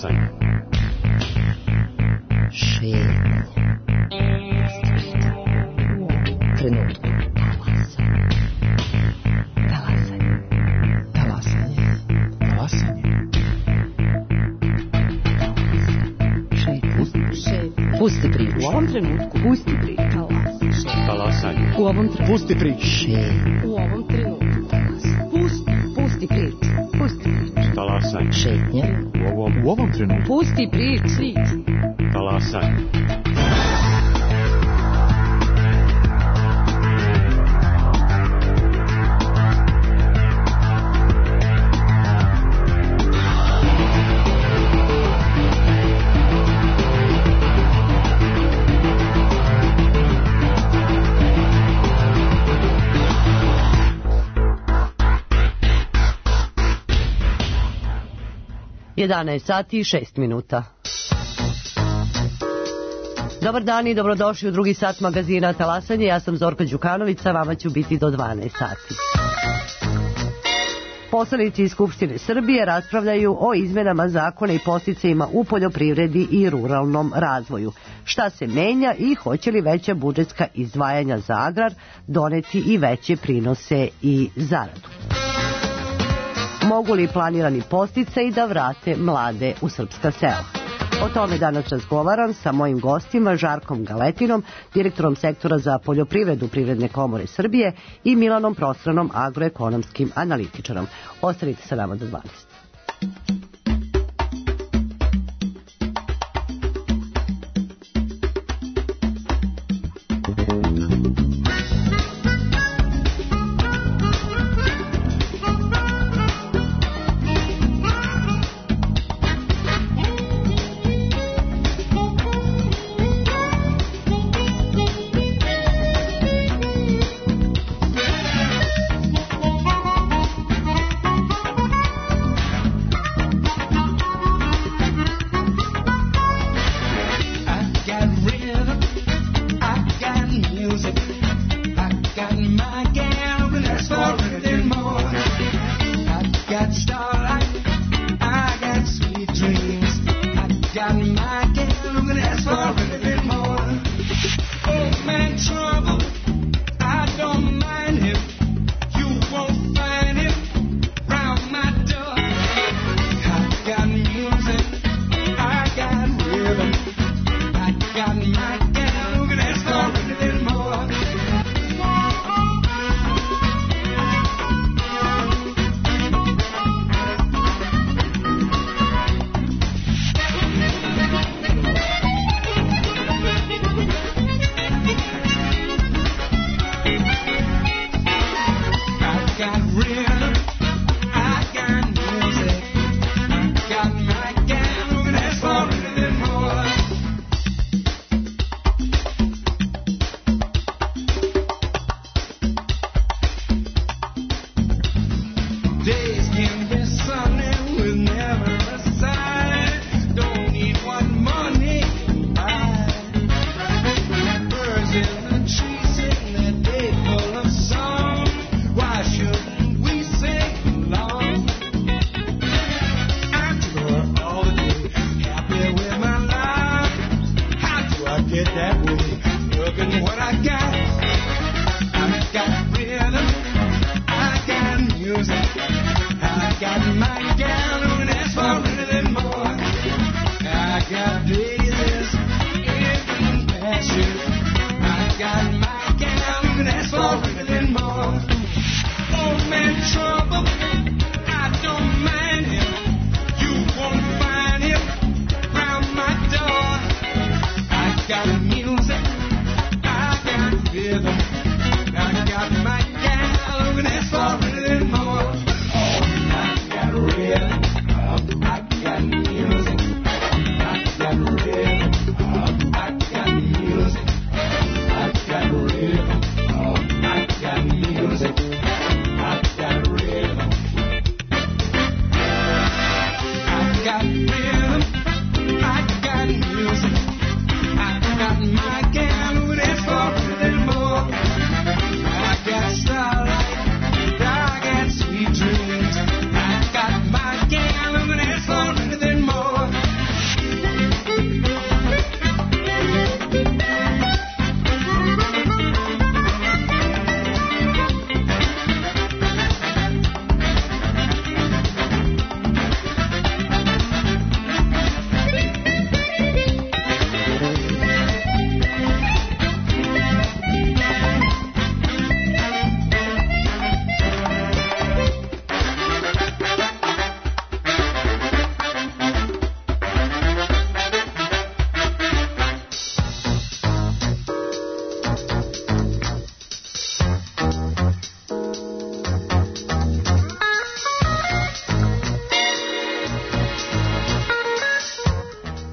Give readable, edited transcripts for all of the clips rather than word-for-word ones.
Talasanje. Šetnje. Trenutku. Talasanje. Talasanje. Talasanje. Pusti priču. U ovom trenutku. Pusti priču. Talasanje. U ovom trenutku. Pusti priču. U ovom trenutku. Pusti priču. Pusti priču. Talasanje. Šetnje. U ovom trenutku. Pusti priču. Talasanje. Jedanaest sati i 6 minuta. Dobar dan i dobrodošli u drugi sat magazina Talasanje. Ja sam Zorka Đukanović, sa vama ću biti do 12 sati. Poslanici iz Skupštine Srbije raspravljaju o izmenama zakona i podsticajima u poljoprivredi i ruralnom razvoju. Šta se menja i hoće li veća budžetska izdvajanja za agrar doneti i veće prinose i zaradu? Mogu li planirani podsticaji da vrate mlade u srpska sela? O tome danas razgovaram sa mojim gostima Žarkom Galetinom, direktorom sektora za poljoprivredu Privredne komore Srbije i Milanom Prostranom, agroekonomskim analitičarom. Ostanite sa nama do 12. I got rhythm, I got music.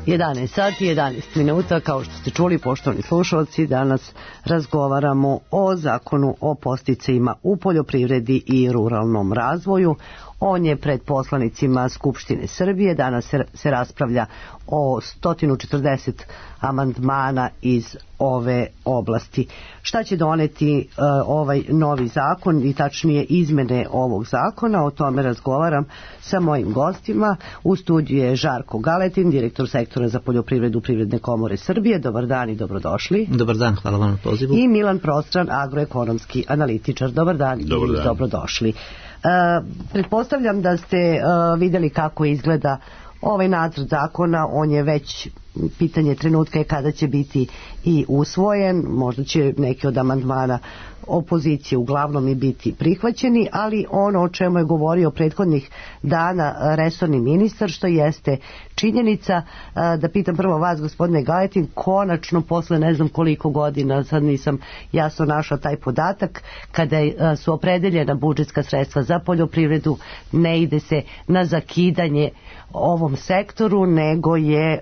11 sati, 11 minuta, kao što ste čuli, poštovani slušalci, danas razgovaramo o zakonu o podsticajima u poljoprivredi i ruralnom razvoju. On je pred poslanicima Skupštine Srbije. Danas se raspravlja o 140 amandmana iz ove oblasti. Šta će doneti ovaj novi zakon i tačnije izmene ovog zakona? O tome razgovaram sa mojim gostima. U studiju je Žarko Galetin, direktor sektora za poljoprivredu Privredne komore Srbije. Dobar dan i dobrodošli. Dobar dan, hvala vam na pozivu. I Milan Prostran, agroekonomski analitičar. Dobar dan i dobrodošli. Pretpostavljam da ste vidjeli kako izgleda ovaj nacrt zakona. On je već pitanje trenutka je kada će biti i usvojen. Možda će neki od amandmana opozicije uglavnom i biti prihvaćeni, ali ono o čemu je govorio prethodnih dana resorni ministar, što jeste činjenica, da pitam prvo vas, gospodine Galetin, konačno posle ne znam koliko godina, sad nisam jasno našla taj podatak, kada su opredeljena budžetska sredstva za poljoprivredu, ne ide se na zakidanje ovom sektoru, nego je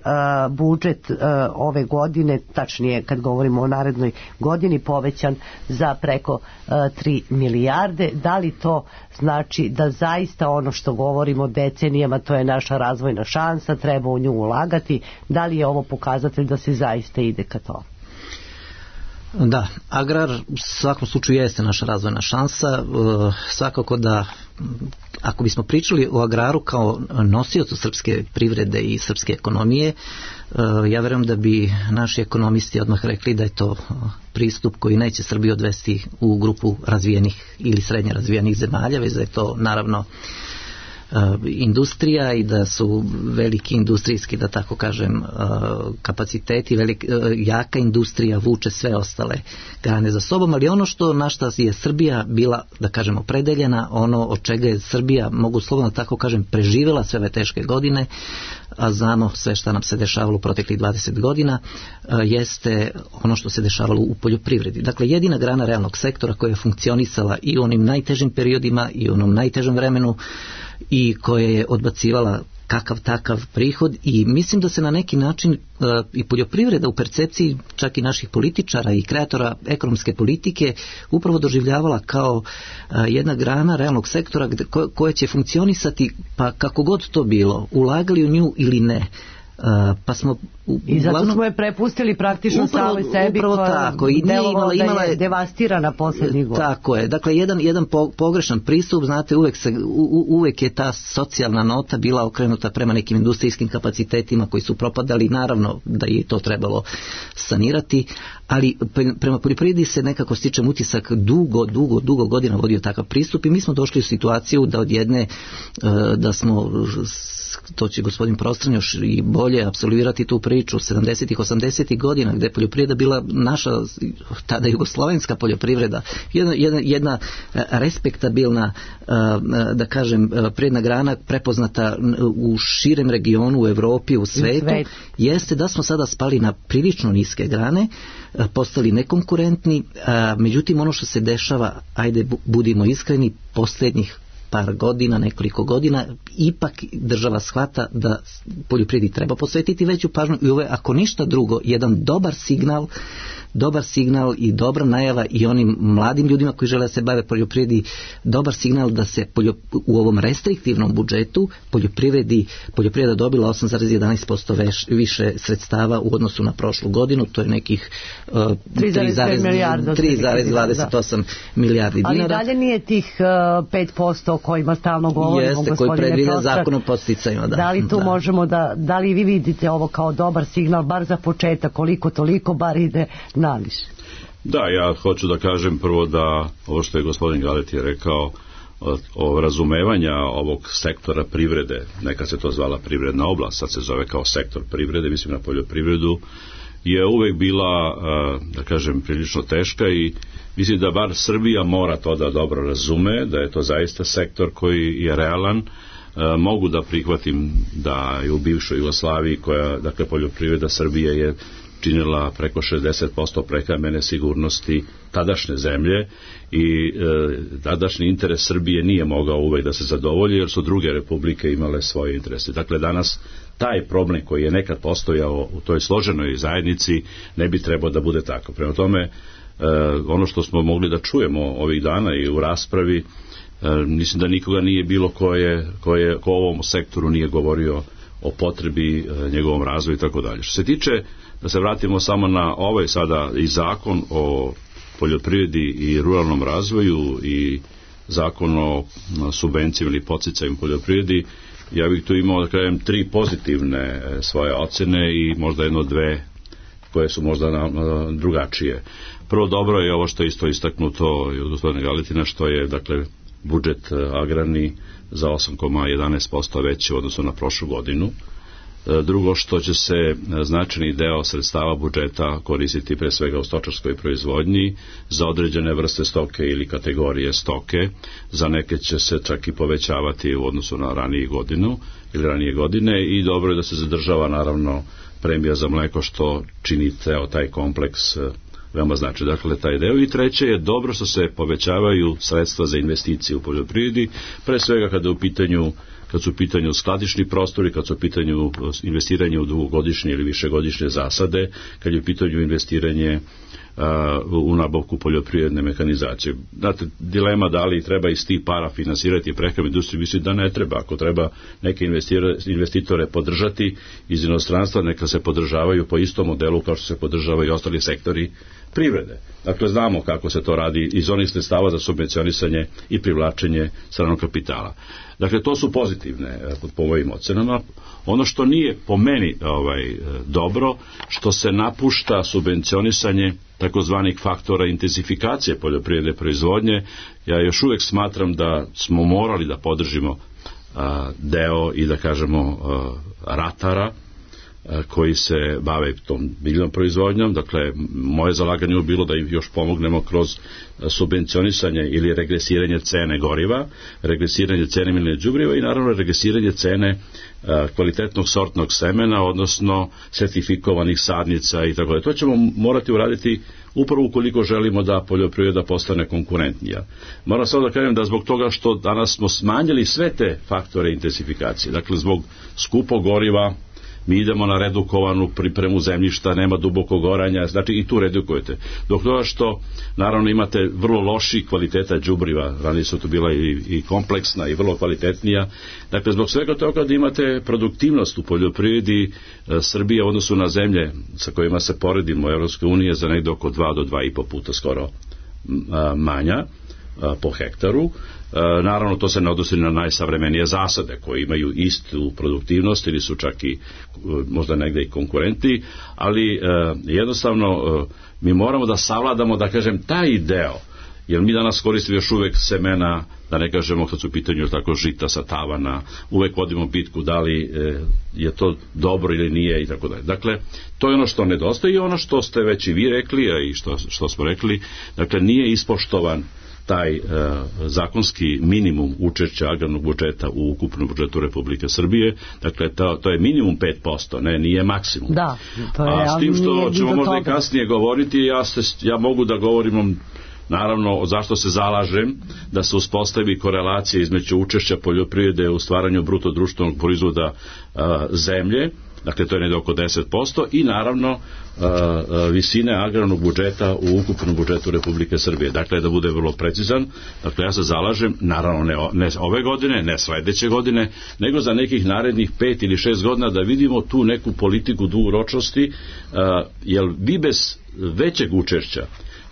budžet ove godine, tačnije kad govorimo o narednoj godini, povećan za preko 3 milijarde. Da li to znači da zaista ono što govorimo decenijama, to je naša razvojna šansa, treba u nju ulagati? Da li je ovo pokazatelj da se zaista ide ka to? Da, agrar u svakom slučaju jeste naša razvojna šansa. Svakako da ako bismo pričali o agraru kao nosiocu srpske privrede i srpske ekonomije, ja verujem da bi naši ekonomisti odmah rekli da je to pristup koji neće Srbiju odvesti u grupu razvijenih ili srednje razvijenih zemalja, već da je to naravno industrija i da su veliki industrijski, da tako kažem, kapaciteti, jaka industrija vuče sve ostale grane za sobom, ali ono na što je Srbija bila, da kažem, opredeljena, ono od čega je Srbija, mogu slobodno tako kažem, preživjela sve ove teške godine, a znamo sve što nam se dešavalo u proteklih 20 godina, jeste ono što se dešavalo u poljoprivredi. Dakle, jedina grana realnog sektora koja je funkcionisala i u onim najtežim periodima i u onom najtežem vremenu i koja je odbacivala kakav takav prihod, i mislim da se na neki način i poljoprivreda u percepciji čak i naših političara i kreatora ekonomske politike upravo doživljavala kao jedna grana realnog sektora koja će funkcionisati, pa kako god to bilo, ulagali u nju ili ne. Pa smo i zato smo je prepustili praktično samoj sebi, koja je devastirana posljednjih godina. Tako je, dakle jedan pogrešan pristup, znate, uvek je ta socijalna nota bila okrenuta prema nekim industrijskim kapacitetima koji su propadali, naravno da je to trebalo sanirati, ali prema poljoprivredi se nekako stičem utisak dugo godina vodio takav pristup i mi smo došli u situaciju da od jedne, da smo, to će gospodin Prostran još i bolje apsolvirati tu priču, 70-ih, 80-ih godina, gde je poljoprivreda bila naša, tada jugoslovenska poljoprivreda, jedna respektabilna, da kažem, predna grana, prepoznata u širem regionu, u Evropi, u svetu, jeste da smo sada spali na prilično niske grane, postali nekonkurentni, međutim ono što se dešava, ajde budimo iskreni, posljednjih par godina, nekoliko godina, ipak država shvata da poljoprivredi treba posvetiti veću pažnju i ovo je, ako ništa drugo, jedan dobar signal i dobra najava i onim mladim ljudima koji žele da se bave poljoprivredi, dobar signal da se u ovom restriktivnom budžetu poljoprivreda dobila 8,11% više sredstava u odnosu na prošlu godinu, to je nekih 3,28 milijardi dinara. Ali dalje nije tih 5% o kojima stalno govorimo, jeste, koji predviđa zakon o podsticajima. Da li tu možemo da li vi vidite ovo kao dobar signal, bar za početak, koliko toliko bar ide naviše? Da, ja hoću da kažem prvo da ovo što je gospodin Galeti rekao o razumevanja ovog sektora privrede, nekad se to zvala privredna oblast, sad se zove kao sektor privrede, mislim na poljoprivredu, je uvek bila, da kažem, prilično teška i mislim da bar Srbija mora to da dobro razume, da je to zaista sektor koji je realan. Mogu da prihvatim da je u bivšoj Jugoslaviji, koja, dakle, poljoprivreda Srbije je činila preko 60% prehrambene sigurnosti tadašnje zemlje i tadašnji interes Srbije nije mogao uvek da se zadovolji jer su druge republike imale svoje interese. Dakle, danas taj problem koji je nekad postojao u toj složenoj zajednici ne bi trebao da bude tako. Prema tome, ono što smo mogli da čujemo ovih dana i u raspravi, mislim da nikoga nije bilo ko u ovom sektoru nije govorio o potrebi njegovom razvoju i tako dalje. Što se tiče, da se vratimo samo na ovaj sada i zakon o poljoprivredi i ruralnom razvoju i zakon o subvencijama ili podsticajima poljoprivredi, ja bih tu imao da kažem 3 pozitivne svoje ocene i možda dve koje su možda drugačije. Prvo, dobro je ovo što je isto istaknuto i od gospodina Galetina, što je dakle budžet agrarni za 8,11% veći u odnosu na prošlu godinu. Drugo, što će se značajni deo sredstava budžeta koristiti pre svega u stočarskoj proizvodnji za određene vrste stoke ili kategorije stoke, za neke će se čak i povećavati u odnosu na ranije godine i dobro je da se zadržava naravno premija za mleko, što čini ceo taj kompleks veoma znači. Dakle, taj deo. I treće je dobro što se povećavaju sredstva za investicije u poljoprivredi, pre svega kad su u pitanju skladišni prostori, kad su u pitanju investiranje u dugogodišnje ili višegodišnje zasade, kad je u pitanju investiranje u nabavku poljoprivredne mehanizacije. Znate, dilema da li treba iz tih para finansirati prehrambenu industriju, mislim da ne treba. Ako treba neke investitore podržati iz inostranstva, neka se podržavaju po istom modelu kao što se podržavaju i ostali sektori privrede. Dakle, znamo kako se to radi iz onih sredstava za subvencionisanje i privlačenje stranog kapitala. Dakle, to su pozitivne po mojim ocenama. Ono što nije po meni dobro, što se napušta subvencionisanje takozvanih faktora intenzifikacije poljoprivredne proizvodnje. Ja još uvek smatram da smo morali da podržimo deo i da kažemo ratara koji se bave tom biljnom proizvodnjom. Dakle, moje zalaganje je bilo da im još pomognemo kroz subvencionisanje ili regresiranje cene goriva, regresiranje cene mineralnih đubriva i naravno regresiranje cene kvalitetnog sortnog semena, odnosno sertifikovanih sadnica i tako dalje. To ćemo morati uraditi upravo ukoliko želimo da poljoprivreda postane konkurentnija. Moram samo da kažem da zbog toga što danas smo smanjili sve te faktore intenzifikacije, dakle zbog skupog goriva, mi idemo na redukovanu pripremu zemljišta, nema dubokog oranja, znači i tu redukujete. Dok toga što, naravno, imate vrlo loši kvaliteta đubriva, ranije su to bila i kompleksna i vrlo kvalitetnija. Dakle, zbog svega toga da imate produktivnost u poljoprivredi Srbije u odnosu na zemlje sa kojima se poredimo u EU za negde oko 2 do 2,5 puta skoro manja po hektaru. Naravno, to se ne odnosi na najsavremenije zasade koje imaju istu produktivnost ili su čak i možda negde i konkurenti, ali jednostavno mi moramo da savladamo, da kažem, taj deo, jer mi danas koristimo još uvek semena, da ne kažemo kad su u pitanju tako žita sa tavana, uvek vodimo bitku da li je to dobro ili nije i tako dalje. Dakle, to je ono što nedostaje i ono što ste već i vi rekli, a i što smo rekli, dakle, nije ispoštovan taj zakonski minimum učešća agrarnog budžeta u ukupnom budžetu Republike Srbije. Dakle, to je minimum 5%, nije maksimum. Da, to je, a s tim što ćemo možda i kasnije govoriti, ja mogu da govorim naravno zašto se zalažem da se uspostavi korelacija između učešća poljoprivrede u stvaranju bruto društvenog proizvoda zemlje, dakle to je negdje oko 10%, i naravno visine agrarnog budžeta u ukupnom budžetu Republike Srbije. Dakle, da bude vrlo precizan. Dakle, ja se zalažem, naravno ne ove godine, ne sledeće godine, nego za nekih narednih 5 ili 6 godina da vidimo tu neku politiku dugoročnosti, jer vi bez većeg učešća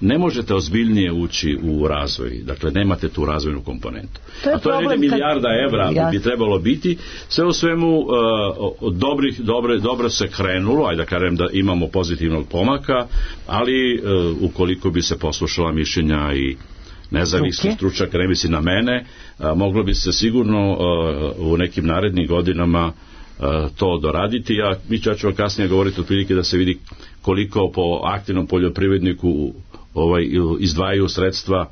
ne možete ozbiljnije ući u razvoj. Dakle, nemate tu razvojnu komponentu. A to je milijarda evra bi trebalo biti. Sve u svemu dobro se krenulo, ajde da kažem da imamo pozitivnog pomaka, ali ukoliko bi se poslušala mišljenja i nezavisni stručnjak, ne misli na mene, moglo bi se sigurno u nekim narednim godinama to doraditi. Ja ću vam kasnije govoriti otprilike da se vidi koliko po aktivnom poljoprivredniku izdvajaju sredstva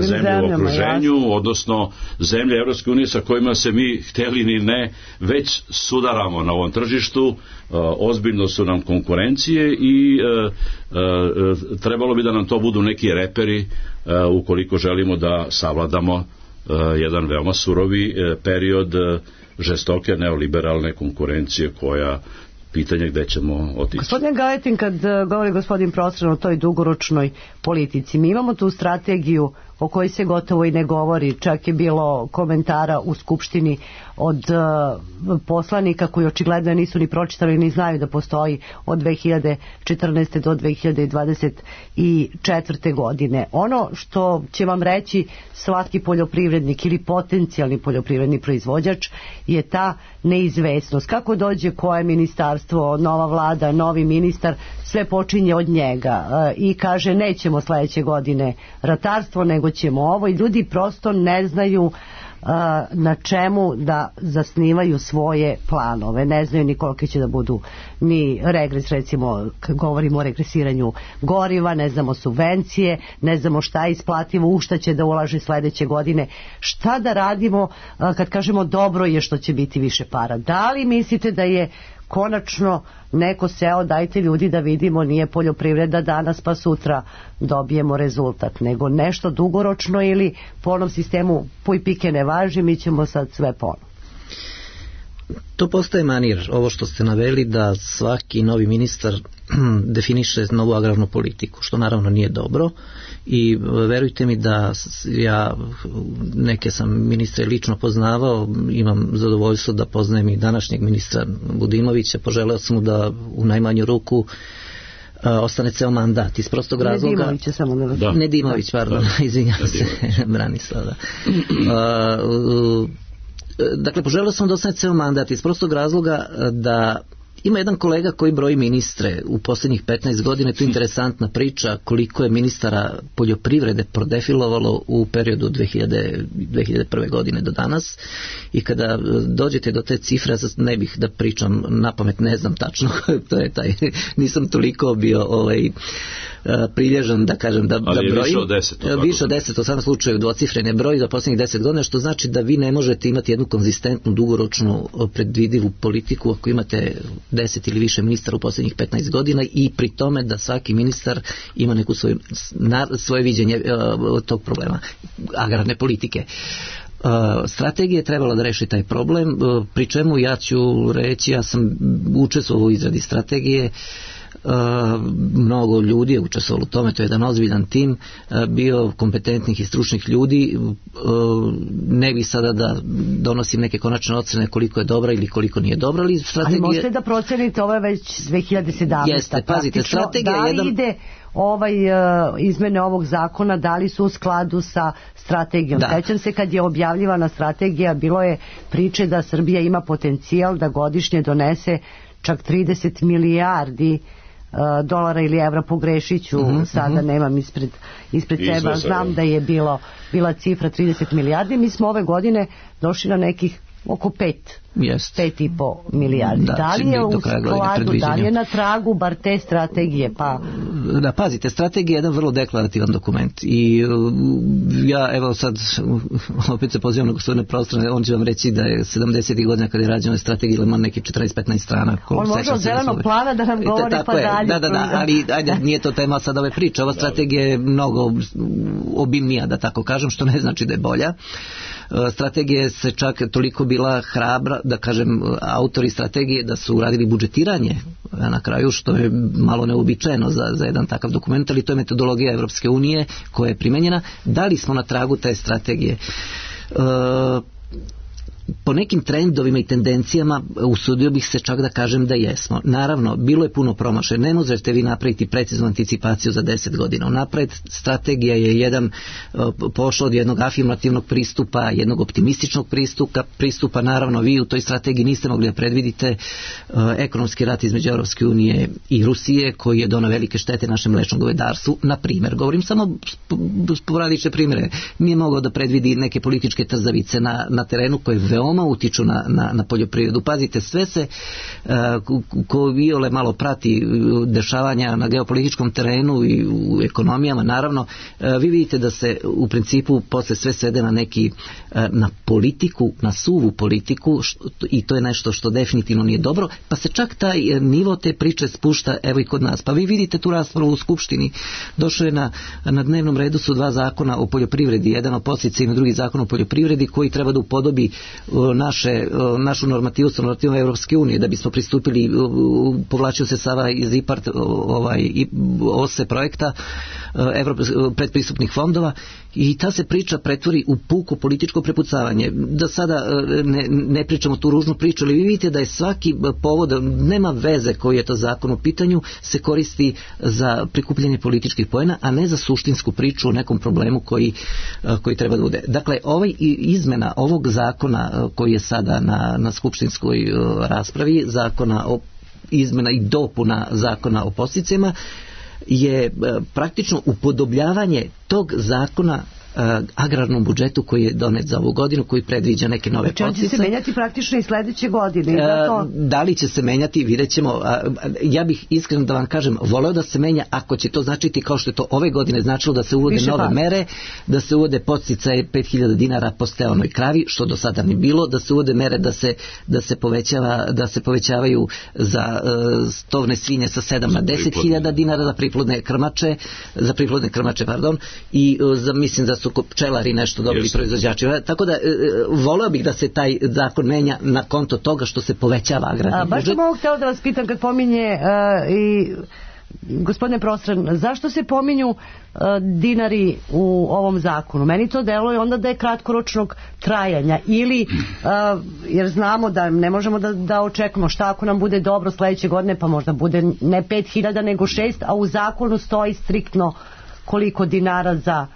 zemlje u okruženju, odnosno zemlje Evropske unije sa kojima se mi, hteli ni ne, već sudaramo na ovom tržištu, ozbiljno su nam konkurencije i trebalo bi da nam to budu neki reperi ukoliko želimo da savladamo jedan veoma surovi period žestoke neoliberalne konkurencije koja pitanje gde ćemo otići. Gospodin Galetin, kad govori gospodin Prostran o toj dugoročnoj politici, mi imamo tu strategiju o kojoj se gotovo i ne govori, čak je bilo komentara u Skupštini od poslanika koji očigledno nisu ni pročitali ni znaju da postoji od 2014. do 2024. godine. Ono što će vam reći svaki poljoprivrednik ili potencijalni poljoprivredni proizvođač je ta neizvesnost. Kako dođe koje ministarstvo, nova vlada, novi ministar, sve počinje od njega i kaže nećemo sledeće godine ratarstvo, nego ćemo ovo, i ljudi prosto ne znaju na čemu da zasnivaju svoje planove, ne znaju ni kolike će da budu ni regres, recimo govorimo o regresiranju goriva, ne znamo subvencije, ne znamo šta je isplativo, u šta će da ulaže sledeće godine, šta da radimo kad kažemo dobro je što će biti više para. Da li mislite da je konačno neko seo, dajte ljudi da vidimo, nije poljoprivreda danas pa sutra dobijemo rezultat, nego nešto dugoročno, ili po onom sistemu puj pike ne važi, mi ćemo sad sve ponovno? To postaje manir, ovo što ste naveli, da svaki novi ministar definiše novu agrarnu politiku, što naravno nije dobro, i verujte mi da ja neke sam ministre lično poznavao, imam zadovoljstvo da poznajem i današnjeg ministra Budimovića, poželeo sam mu da u najmanju ruku ostane ceo mandat iz prostog razloga. Nedimović je samo da. Nedimović, pardon, izvinjam se, Branislav. Dakle, poželeo sam da ostane ceo mandat iz prostog razloga da ima jedan kolega koji broji ministre u posljednjih 15 godina, to je interesantna priča koliko je ministara poljoprivrede prodefilovalo u periodu 2001. godine do danas, i kada dođete do te cifre, ne bih da pričam napamet, ne znam tačno, to je taj, nisam toliko bio prilježan da kažem da brojim. Ali više od 10. Više od 10, u samom slučaju dvocifrene broj za posljednjih 10 godina, što znači da vi ne možete imati jednu konzistentnu, dugoročnu, predvidivu politiku ako imate 10 ili više ministara u posljednjih 15 godina, i pri tome da svaki ministar ima neku svoje viđenje tog problema agrarne politike. Strategija je trebala da reši taj problem, pri čemu ja ću reći, ja sam učestvovao u izradi strategije, mnogo ljudi je učestvovalo u tome, to je jedan ozbiljan tim bio kompetentnih i stručnih ljudi, ne bih sada da donosim neke konačne ocene koliko je dobra ili koliko nije dobra, ali strategija... Ali možete da procenite, ovo je već 2017. Jeste, pazite, strategija da li ide izmene ovog zakona, da li su u skladu sa strategijom? Sećam se kad je objavljivana strategija, bilo je priče da Srbija ima potencijal da godišnje donese čak 30 milijardi dolara ili evra, pogrešiću, sada nemam ispred sebe, znam da je bila cifra 30 milijardi, mi smo ove godine došli na nekih oko 5,5 milijardi. Da li je u skladu, da li je na tragu bar te strategije? Da, pazite, strategija je jedan vrlo deklarativan dokument, i ja evo sad opet se pozivam na gospodine Prostrane, on će vam reći da je 70. godina kada je rađena strategija ima neki 14-15 strana. On može od zelenog plana da nam govori pa dalje. Da, ali ajde, nije to tema sad ove priče, ova strategija je mnogo obimnija, da tako kažem, što ne znači da je bolja. Strategija se čak toliko bila hrabra, da kažem, autori strategije da su uradili budžetiranje na kraju, što je malo neobičajeno za jedan takav dokument, ali to je metodologija Evropske unije koja je primenjena. Da li smo na tragu te strategije? Po nekim trendovima i tendencijama usudio bih se čak da kažem da jesmo. Naravno, bilo je puno promašaja. Ne možete vi napraviti preciznu anticipaciju za 10 godina. Unapred strategija je pošla od jednog afirmativnog pristupa, jednog optimističnog pristupa. Naravno, vi u toj strategiji niste mogli da predvidite ekonomski rat između Evropske unije i Rusije, koji je doneo velike štete našem mlečnom govedarstvu. Na primjer, govorim samo sporadične primjere. Nije mogao da predvidi neke političke trzavice na terenu koje veoma utiču na poljoprivredu. Pazite, sve se ko iole malo prati dešavanja na geopolitičkom terenu i u ekonomijama, naravno, vi vidite da se u principu posle sve svede na politiku, na suvu politiku, i to je nešto što definitivno nije dobro, pa se čak taj nivo te priče spušta evo i kod nas. Pa vi vidite tu raspravu u Skupštini, došlo je na dnevnom redu su 2 zakona o poljoprivredi, jedan o podsticajima, drugi zakon o poljoprivredi koji treba da upodobi našu normativu sa normativom Evropske unije, da bismo pristupili, povlačio se sada iz IPART OSE projekta predpristupnih fondova, i ta se priča pretvori u puko političko prepucavanje. Da sada ne pričamo tu ružnu priču, ali vi vidite da je svaki povod, nema veze koji je to zakon u pitanju, se koristi za prikupljanje političkih poena, a ne za suštinsku priču o nekom problemu koji treba da bude. Dakle, izmena ovog zakona koji je sada na skupštinskoj raspravi, zakona o izmena i dopuna zakona o podsticajima, je praktično upodobljavanje tog zakona agrarnom budžetu koji je donet za ovu godinu, koji predviđa neke nove podsticaje. Znači, će se menjati praktično i sledeće godine. Da li će se menjati, vidjet ćemo. Ja bih iskreno da vam kažem, voleo da se menja ako će to značiti kao što je to ove godine značilo da se uvode nove mere, da se uvode podsticaje 5000 dinara po steonoj kravi, što do sada ni bilo, da se uvode mere da se povećavaju za stovne svinje sa 7 na 10.000 dinara za priplodne krmače, i mislim da su pčelari nešto dobili proizvođači. Tako da voleo bih da se taj zakon menja na konto toga što se povećava agrarni budžet. Baš sam ovo htjela da vas pitam kad pominje i gospodine Prostran, zašto se pominju dinari u ovom zakonu? Meni to deluje onda da je kratkoročnog trajanja ili jer znamo da ne možemo da očekujemo šta ako nam bude dobro sledeće godine, pa možda bude ne 5.000 nego 6, a u zakonu stoji striktno koliko dinara za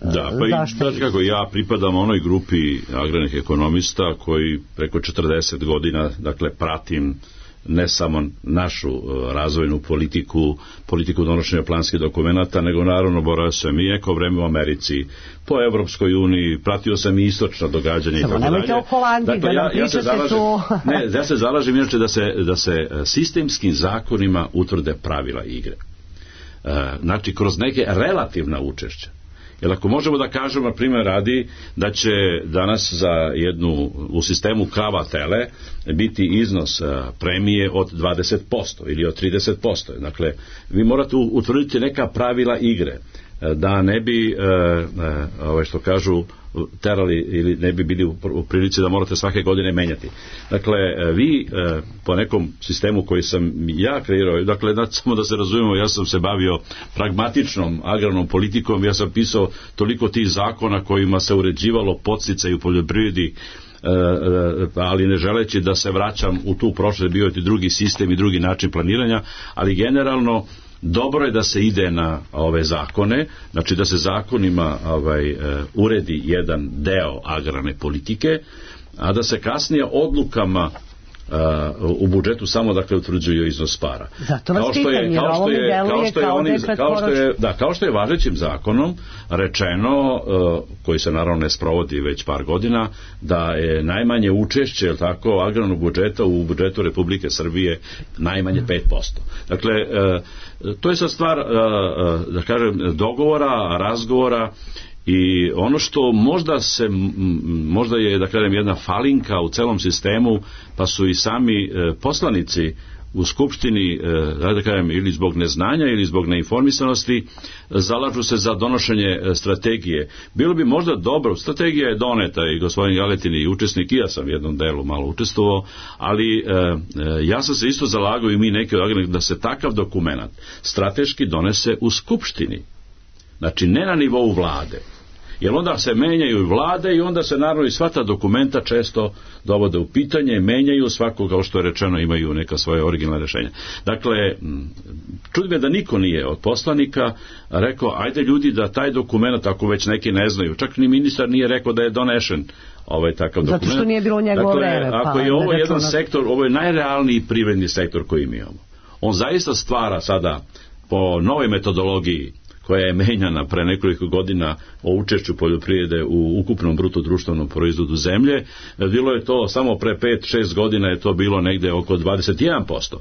Da, pa i znate kako, ja pripadam onoj grupi agrarnih ekonomista koji preko 40 godina, dakle, pratim ne samo našu razvojnu politiku donošenja planskih dokumenata, nego naravno boravio sam i neko vreme u Americi, po Evropskoj uniji, pratio sam i istočna događanja i tako dalje. Samo nemojte o Holandiji, da nam pričate tu. Ja se zalažem inače da se sistemskim zakonima utvrde pravila igre. Znači, kroz neke relativna učešća. Jer ako možemo da kažemo, na primjer radi, da će danas za jednu u sistemu krava-tele biti iznos premije od 20% ili od 30%. Dakle, vi morate utvrditi neka pravila igre, da ne bi, što kažu, terali ili ne bi bili u prilici da morate svake godine menjati. Dakle, vi po nekom sistemu koji sam ja kreirao, dakle, samo da se razumemo, ja sam se bavio pragmatičnom agrarnom politikom, ja sam pisao toliko tih zakona kojima se uređivalo podsticaj u poljoprivredi, ali ne želeći da se vraćam u tu prošlost, bio je drugi sistem i drugi način planiranja, ali generalno dobro je da se ide na ove zakone, znači da se zakonima uredi jedan deo agrarne politike, a da se kasnije odlukama u budžetu samo dakle utvrđuju iznos para. Zato vas pitam, jer ovo mi deluje kao da je kratkoročno. Kao što je važećim zakonom rečeno, koji se naravno ne sprovodi već par godina, da je najmanje učešće agrarnog budžeta u budžetu Republike Srbije najmanje 5%. Dakle, to je sad stvar, da kažem, dogovora, razgovora. I ono što možda je, da kažem, jedna falinka u celom sistemu, pa su i sami poslanici u Skupštini, da kažem, ili zbog neznanja ili zbog neinformisanosti, zalažu se za donošenje strategije. Bilo bi možda dobro, strategija je doneta i gospodin Galetin i učesnik, i ja sam u jednom delu malo učestvovao, ali ja sam se isto zalagao i mi neki od agrarnih da se takav dokument strateški donese u Skupštini. Znači, ne na nivou vlade. Jer onda se menjaju i vlade i onda se naravno i sva ta dokumenta često dovode u pitanje, menjaju, svako, kao što je rečeno, imaju neka svoje originalne rešenja. Dakle, čudi me da niko nije od poslanika rekao, ajde ljudi da taj dokument, ako već neki ne znaju, čak ni ministar nije rekao da je donešen takav dokument. Zato što nije bilo njegovo vreme. Dakle, ako je ovo jedan sektor, ovo je najrealniji privredni sektor koji mi imamo. On zaista stvara sada po novoj metodologiji koja je menjana pre nekoliko godina o učešću poljoprivrede u ukupnom bruto društvenom proizvodu zemlje, bilo je to samo pre 5-6 godina je to bilo negde oko 21%.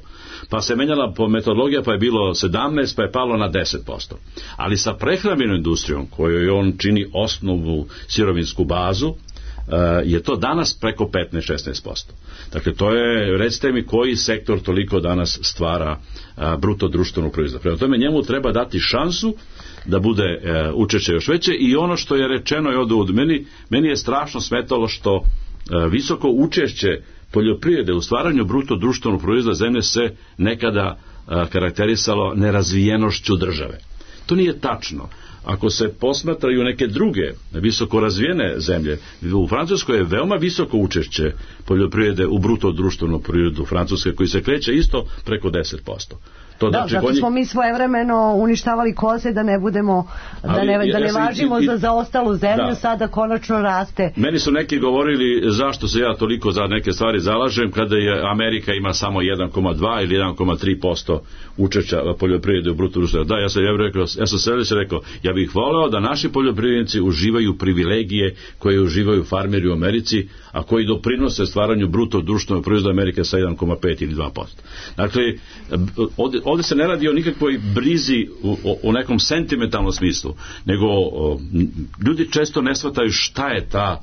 Pa se menjala po metodologija, pa je bilo 17, pa je palo na 10%. Ali sa prehrambenom industrijom, kojoj on čini osnovnu sirovinsku bazu, je to danas preko 15-16%. Dakle, to je, recite mi, koji sektor toliko danas stvara bruto društvenog proizvoda. Prema tome, njemu treba dati šansu da bude učešće još veće i ono što je rečeno je od meni je strašno smetalo što visoko učešće poljoprivrede u stvaranju bruto društvenog proizvoda zemlje se nekada karakterisalo nerazvijenošću države. To nije tačno. Ako se posmatraju neke druge visoko razvijene zemlje, u Francuskoj je veoma visoko učešće poljoprivrede u bruto društvenom proizvodu Francuske, koji se kreće isto preko 10%. To da, zato smo mi svojevremeno uništavali koze da ne budemo, da ne važimo za ostalu zemlju, sada konačno raste. Meni su neki govorili zašto se ja toliko za neke stvari zalažem kada je Amerika ima samo 1,2 ili 1,3% učešća poljoprivrede u bruto društvenom. Da, ja sam sljedeće rekao, ja bih voleo da naši poljoprivrednici uživaju privilegije koje uživaju farmeri u Americi, a koji doprinose stvaranju bruto društvenog proizvoda Amerike sa 1,5 ili 2%. Dakle, ovdje se ne radi o nikakvoj brizi u nekom sentimentalnom smislu, nego ljudi često ne shvataju šta je ta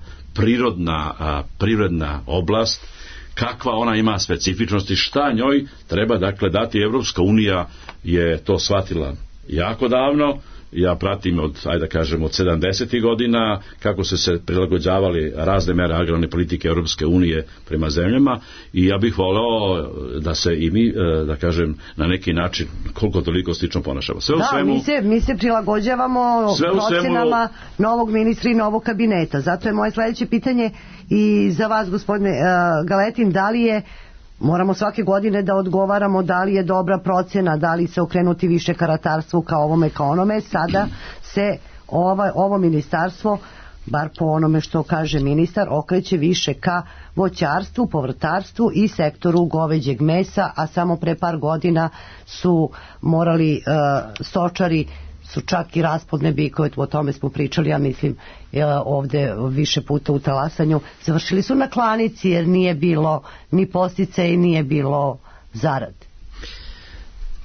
privredna oblast, kakva ona ima specifičnosti, šta njoj treba dakle dati. Evropska unija je to shvatila jako davno. Ja pratim od 70. godina kako se prilagođavali razne mere agrarne politike Europske unije prema zemljama i ja bih voleo da se i mi, da kažem, na neki način koliko toliko slično ponašamo. Mi se prilagođavamo procenama novog ministra i novog kabineta. Zato je moje sledeće pitanje i za vas, gospodine Galetin, da li je, moramo svake godine da odgovaramo da li je dobra procena, da li se okrenuti više ka ratarstvu, ka ovome, ka onome. Sada se ovo ministarstvo, bar po onome što kaže ministar, okreće više ka voćarstvu, povrtarstvu i sektoru goveđeg mesa, a samo pre par godina su morali stočari su čak i rasplodne bikove, o tome smo pričali, ja mislim ovde više puta u Talasanju, završili su na klanici jer nije bilo ni postice i nije bilo zarade.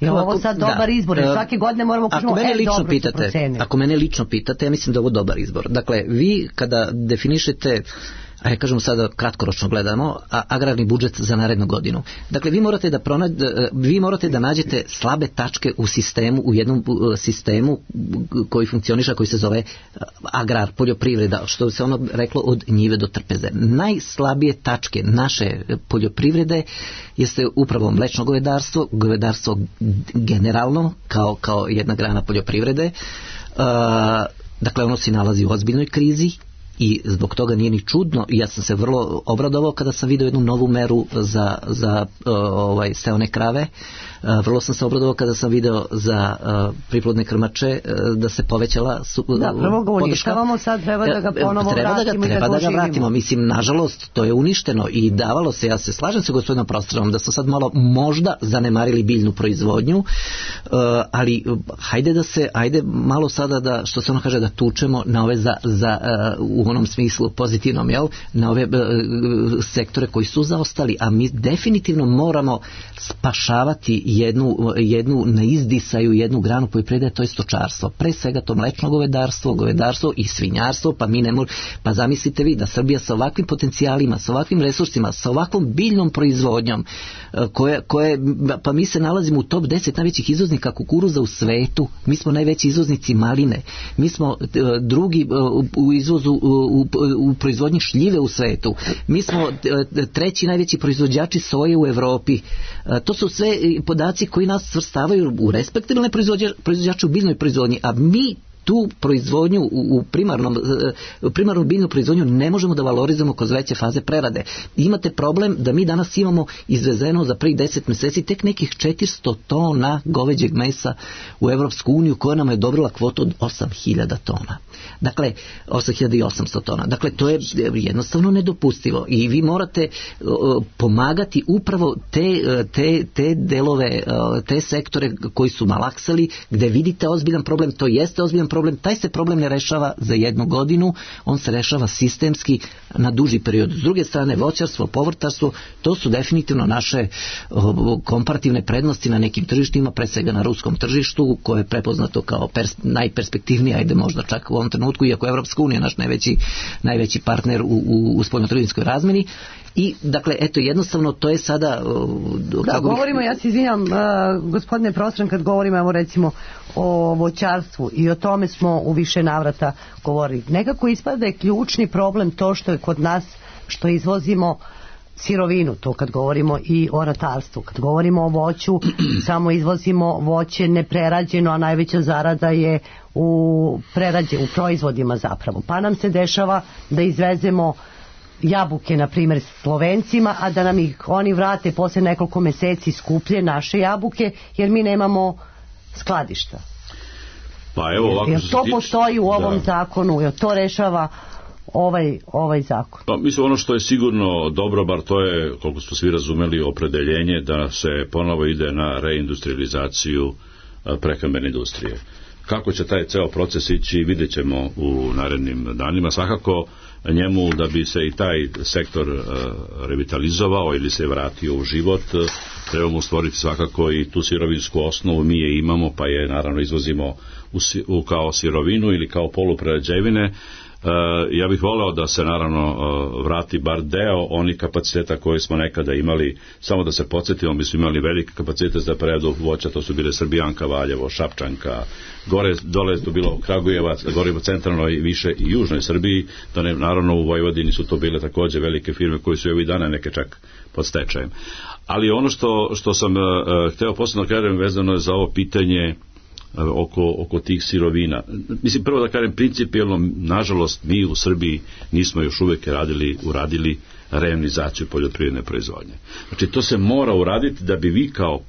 Je ovo sad dobar izbor? Svake godine moramo kažemo, dobro se procenili. Ako mene lično pitate, ja mislim da je ovo dobar izbor. Dakle, vi kada definišete, a kažemo sada kratkoročno gledamo, agrarni budžet za narednu godinu. Dakle, vi morate da nađete slabe tačke u jednom sistemu koji funkcioniše, koji se zove agrar, poljoprivreda, što se ono reklo od njive do trpeze. Najslabije tačke naše poljoprivrede jeste upravo mlečno govedarstvo generalno kao jedna grana poljoprivrede. Dakle, ono se nalazi u ozbiljnoj krizi. I zbog toga nije ni čudno, ja sam se vrlo obradovao kada sam vidio jednu novu meru za steone krave. Vrlo sam se obradovao kada sam video za priplodne krmače da se povećala podrška. Prvo ga uništavamo, sad treba da ga ponovo vratimo i da ga oživimo. Mislim, nažalost, to je uništeno i davalo se, ja se slažem sa gospodinom Prostranom da smo sad malo možda zanemarili biljnu proizvodnju, ali hajde malo sada da, što se ono kaže, da tučemo na ove u onom smislu pozitivnom, na ove sektore koji su zaostali, a mi definitivno moramo spašavati jednu na izdisaju, jednu granu poljoprivrede, to je stočarstvo. Pre svega to mlečno govedarstvo i svinjarstvo, pa zamislite vi da Srbija sa ovakvim potencijalima, sa ovakvim resursima, sa ovakvom biljnom proizvodnjom, pa mi se nalazimo u top 10 najvećih izvoznika kukuruza u svetu, mi smo najveći izvoznici maline, mi smo drugi u izvozu u proizvodnji šljive u svetu, mi smo treći najveći proizvođači soje u Evropi. To su sve podaci koji nas svrstavaju u respektabilne proizvođače u biljnoj proizvodnji, a mi tu proizvodnju u primarnu biljnu proizvodnju ne možemo da valorizujemo kroz veće faze prerade. Imate problem da mi danas imamo izvezeno za prvih 10 mjeseci tek nekih 400 tona goveđeg mesa u Evropsku uniju, koja nam je odobrila kvotu od 8000 tona. Dakle, 8800 tona. Dakle, to je jednostavno nedopustivo i vi morate pomagati upravo te delove, te sektore koji su malaksali, gde vidite ozbiljan problem, to jeste ozbiljan problem, taj se problem ne rešava za 1 godinu, on se rešava sistemski na duži period. S druge strane, voćarstvo, povrtarstvo, to su definitivno naše komparativne prednosti na nekim tržištima, pre svega na ruskom tržištu, koje je prepoznato kao najperspektivnije, ajde možda čak u ovom trenutku, iako je Evropska unija naš najveći partner u spoljnotrgovinskoj razmeni. I, dakle, eto, jednostavno, to je sada... govorimo, ja se izvinjam, gospodine Prostran, kad govorimo, evo recimo, o voćarstvu i o tome smo u više navrata govorili. Nekako ispada da je ključni problem to što je kod nas, što izvozimo sirovinu, to kad govorimo i o ratarstvu. Kad govorimo o voću, samo izvozimo voće neprerađeno, a najveća zarada je u proizvodima zapravo. Pa nam se dešava da izvezemo jabuke, na primjer, Slovencima, a da nam ih oni vrate posle nekoliko meseci skuplje, naše jabuke, jer mi nemamo skladišta. Pa evo, ovako, jer to postoji u ovom zakonu, jer to rešava ovaj zakon. Pa, mislim, ono što je sigurno dobro, bar to je, koliko smo svi razumeli, opredeljenje da se ponovo ide na reindustrializaciju prehrambene industrije. Kako će taj ceo proces ići, vidjet ćemo u narednim danima. Svakako njemu, da bi se i taj sektor revitalizovao ili se vratio u život, trebamo stvoriti svakako i tu sirovinsku osnovu. Mi je imamo, pa je naravno izvozimo kao sirovinu ili kao poluprerađevine. Ja bih voleo da se naravno vrati bar deo onih kapaciteta koje smo nekada imali. Samo da se podsjetimo, mi smo imali velike kapacitete za preradu voća, to su bile Srbijanka, Valjevo, Šapčanka, dole je to bilo Kragujevac, gore u centralnoj, više i južnoj Srbiji, da ne, naravno u Vojvodini su to bile takođe velike firme koje su i ovih dana neke čak pod stečajem. Ali ono što sam hteo posebno kažem vezano je za ovo pitanje oko tih sirovina. Mislim, prvo da kažem, principijelno, nažalost, mi u Srbiji nismo još uvijek uradili reonizaciju poljoprivredne proizvodnje. Znači, to se mora uraditi da bi vi kao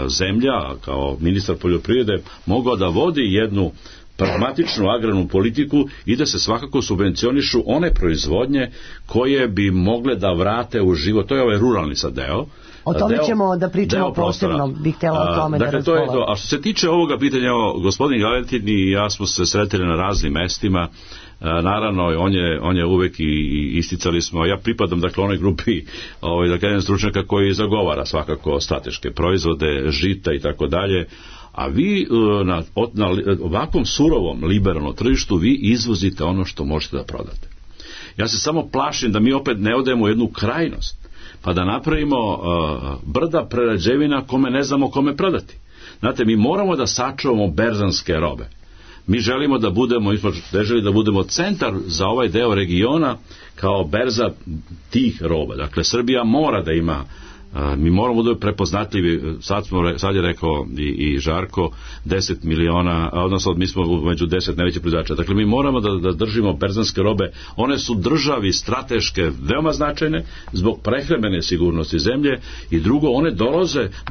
zemlja, kao ministar poljoprivrede mogao da vodi jednu pragmatičnu agrarnu politiku i da se svakako subvencionišu one proizvodnje koje bi mogle da vrate u život. To je ovaj ruralni sad deo. O tome ćemo da pričamo posebno, bih htjela o tome da razgovaram. To je to. A što se tiče ovoga pitanja, gospodin Galetin i ja smo se sretili na raznim mestima. Naravno, on je uvek i isticali smo, ja pripadam dakle onoj grupi da kažem stručnjaka koji zagovara svakako strateške proizvode, žita i tako dalje. A vi na ovakvom surovom liberalnom tržištu vi izvozite ono što možete da prodate. Ja se samo plašim da mi opet ne odemo u jednu krajnost, pa da napravimo brda prerađevina kome ne znamo kome prodati. Znate, mi moramo da sačuvamo berzanske robe. Mi želimo da budemo, da budemo centar za ovaj deo regiona kao berza tih roba. Dakle, Srbija mora da ima, mi moramo da prepoznatljivi, sad je rekao i Žarko, 10 miliona, odnosno mi smo među 10 najvećih proizvođača. Dakle, mi moramo da držimo berzanske robe. One su državi strateške veoma značajne zbog prehrambene sigurnosti zemlje i drugo, one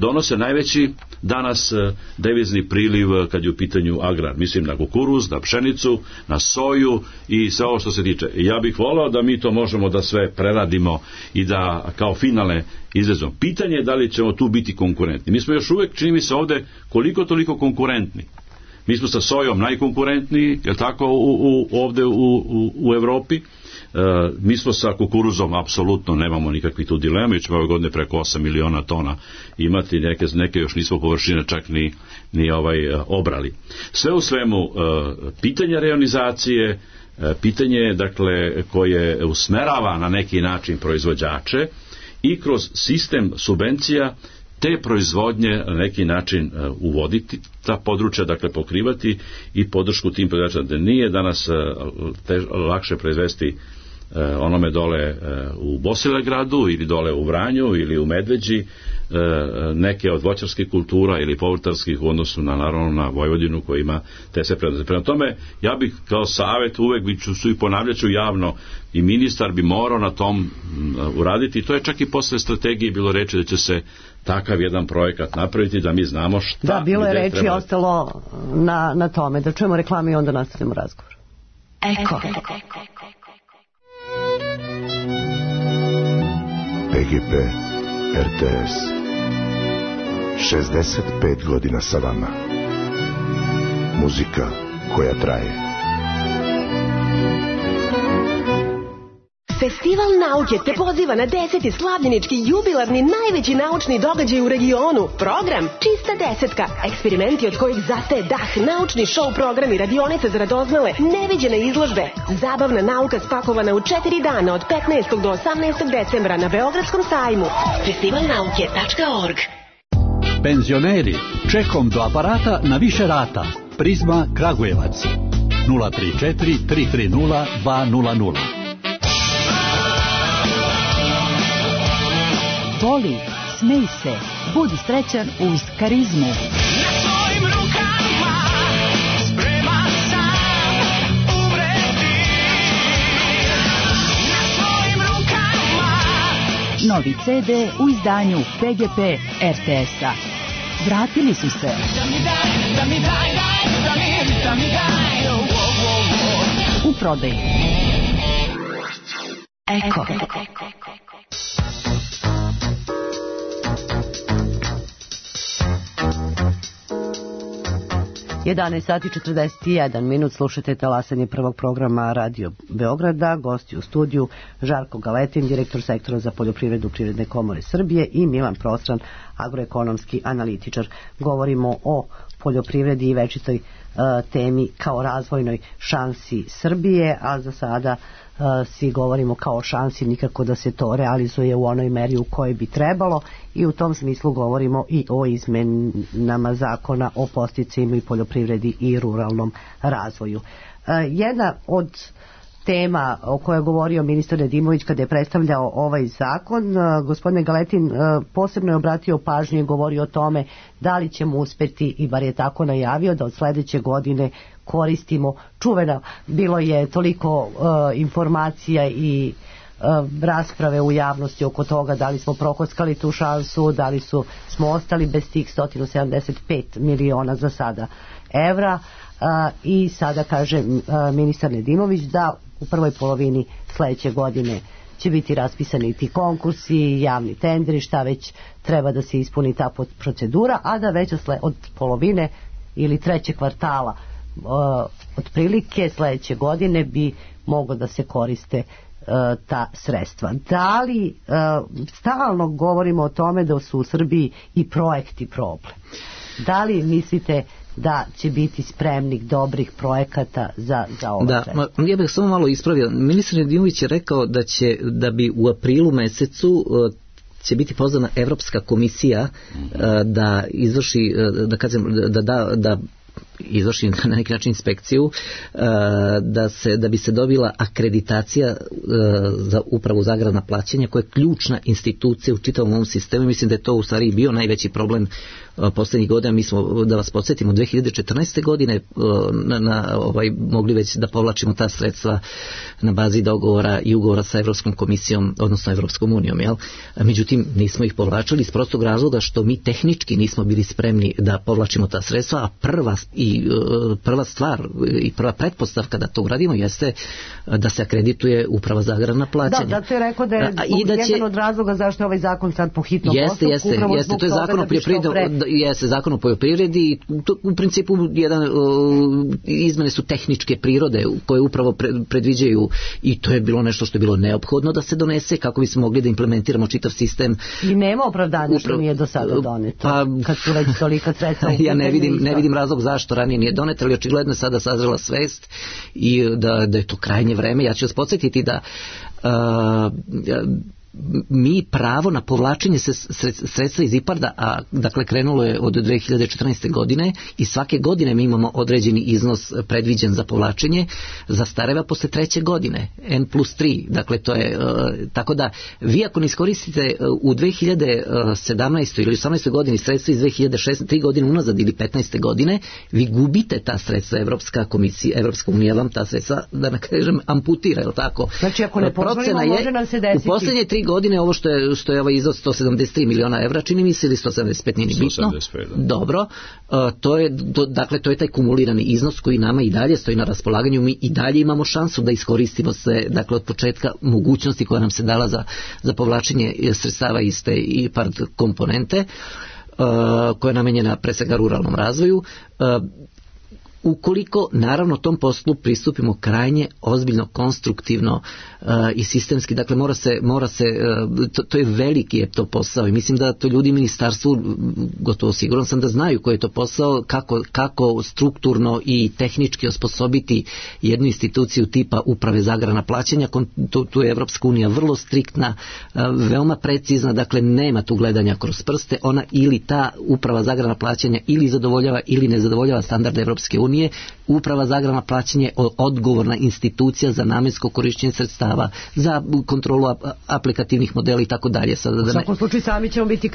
donose najveći danas devizni priliv kad je u pitanju agrar. Mislim na kukuruz, na pšenicu, na soju i sve ovo što se tiče. Ja bih volao da mi to možemo da sve preradimo i da kao finalne izvezom. Pitanje je da li ćemo tu biti konkurentni. Mi smo još uvek, čini mi se ovde, koliko toliko konkurentni. Mi smo sa sojom najkonkurentniji, je tako, ovde u Evropi. Mi smo sa kukuruzom apsolutno nemamo nikakvih tu dilema, i ćemo ove godine preko 8 miliona tona imati, neke još nismo površine čak ni obrali. Sve u svemu, pitanje reonizacije, pitanje dakle koje usmerava na neki način proizvođače i kroz sistem subvencija te proizvodnje na neki način uvoditi, ta područja dakle pokrivati i podršku tim proizvođačima, da nije danas lakše proizvesti onome dole u Bosilegradu ili dole u Vranju ili u Medveđi neke od voćarskih kultura ili povrtarskih u odnosu na naravno na Vojvodinu koja ima te sve prednosti. Prema tome, ja bih kao savjet uvek ću i ponavljaću javno i ministar bi morao na tom uraditi. To je čak i posle strategije bilo reči da će se takav jedan projekat napraviti da mi znamo šta. Da, bilo je reči ostalo na tome. Da čujemo reklame i onda nastavljamo razgovor. Eko. PGP RTS 65 godina sa vama. Muzika koja traje. Festival nauke te poziva na 10. slavljenički jubilarni najveći naučni događaj u regionu. Program Čista desetka. Eksperimenti od kojih zastaje dah, naučni show programi, radionice za radoznale, neviđene izložbe. Zabavna nauka spakovana u 4 dana od 15. do 18. decembra na Beogradskom sajmu. festivalnauke.org. Penzioneri, čekom do aparata na više rata. Prizma Kragujevac 034 330 200. Voli, smej se, budi srećan uz Karizmu. Na svojim rukama spreman sam umreti. Na svojim rukama. Novi CD u izdanju PGP RTS-a. Vratili su se. Da mi daj. U prodaju. Eko. 11 sati 41 minut, slušate talasanje prvog programa Radio Beograda. Gosti u studiju Žarko Galetin, direktor sektora za poljoprivredu Privredne komore Srbije, i Milan Prostran, agroekonomski analitičar. Govorimo o poljoprivredi i večitoj temi kao razvojnoj šansi Srbije, a za sada svi govorimo kao šansi, nikako da se to realizuje u onoj meri u kojoj bi trebalo, i u tom smislu govorimo i o izmenama zakona o podsticajima i poljoprivredi i ruralnom razvoju. Jedna od tema o kojoj je govorio ministar Nedimović kada je predstavljao ovaj zakon, gospodin Galetin posebno je obratio pažnju i govorio o tome da li ćemo uspeti, i bar je tako najavio, da od sledeće godine koristimo čuvena, bilo je toliko informacija i rasprave u javnosti oko toga da li smo prokockali tu šansu, da li smo ostali bez tih 175 miliona za sada evra, i sada kaže ministar Nedimović da u prvoj polovini sledeće godine će biti raspisani ti konkursi, javni tenderi, šta već treba da se ispuni ta procedura, a da već od polovine ili trećeg kvartala otprilike sledeće godine bi moglo da se koriste ta sredstva. Da li stalno govorimo o tome da su u Srbiji i projekti problem? Da li mislite da će biti spremnik dobrih projekata za ova sredstva? Ja bih samo malo ispravio. Ministar Nedimović je rekao da bi u aprilu mesecu će biti pozvana Evropska komisija da izvrši, da izvrši na neki način inspekciju, da bi se dobila akreditacija za upravu za agrarna plaćanja, koja je ključna institucija u čitavom ovom sistemu. Mislim da je to u stvari bio najveći problem poslednjih godina. Mi smo, da vas podsjetimo, 2014. godine mogli već da povlačimo ta sredstva na bazi dogovora i ugovora sa Evropskom komisijom, odnosno Evropskom unijom. Međutim, nismo ih povlačili iz prostog razloga što mi tehnički nismo bili spremni da povlačimo ta sredstva, a prva stvar i prva pretpostavka da to uradimo jeste da se akredituje uprava za agrarna plaćanja. Da, to je rekao da je jedan od razloga zašto je ovaj zakon sad po hitnom postupku. Jeste, to je zakon o poljoprivredi. Jeste zakon o poljoprivredi i u principu izmene su tehničke prirode koje upravo predviđaju, i to je bilo nešto što je bilo neophodno da se donese kako bismo mogli da implementiramo čitav sistem. I nema opravdanja što nije do sada doneto, kad su već tolika sredstva. Ja ne vidim razlog zašto ranije nije doneto, ali očigledno je sada sazrela svest i da je to krajnje vreme. Ja ću vas podsjetiti da mi pravo na povlačenje sredstva iz IPARD-a, a dakle krenulo je od 2014. godine i svake godine mi imamo određeni iznos predviđen za povlačenje, zastareva posle 3. godine, N+3, dakle to je, tako da vi ako ne iskoristite u 2017. ili 18. godini sredstva iz 2016. 3 godine unazad ili 15. godine, vi gubite ta sredstva, Evropska komisija, Evropska unija vam ta sredstva, da ne kažem, amputira, je li tako? Znači ako ne poželimo, može nam se desiti. U posljednje 3 godine ovo što je ovaj iznos 173 miliona evra, čini mi se, ili 175, nije ni bitno. 175, da. Dobro, dakle to je taj kumulirani iznos koji nama i dalje stoji na raspolaganju, mi i dalje imamo šansu da iskoristimo se, dakle od početka mogućnosti koja nam se dala za povlačenje sredstava iz te IPARD komponente, koja je namenjena pre svega ruralnom razvoju. Ukoliko naravno tom poslu pristupimo krajnje ozbiljno, konstruktivno i sistemski, dakle mora se to je veliki je to posao i mislim da to ljudi u ministarstvu, gotovo siguran sam da znaju koji je to posao, kako strukturno i tehnički osposobiti jednu instituciju tipa uprave za agrarna plaćanja. Tu je Evropska unija vrlo striktna, veoma precizna, dakle nema tu gledanja kroz prste, ona ili ta uprava za agrarna plaćanja ili zadovoljava ili ne zadovoljava standarde Evropske unije. Uprava za agrarna plaćanja je odgovorna institucija za namensko korišćenje sredstava, za kontrolu aplikativnih modela i tako dalje. U svakom slučaju sami ćemo biti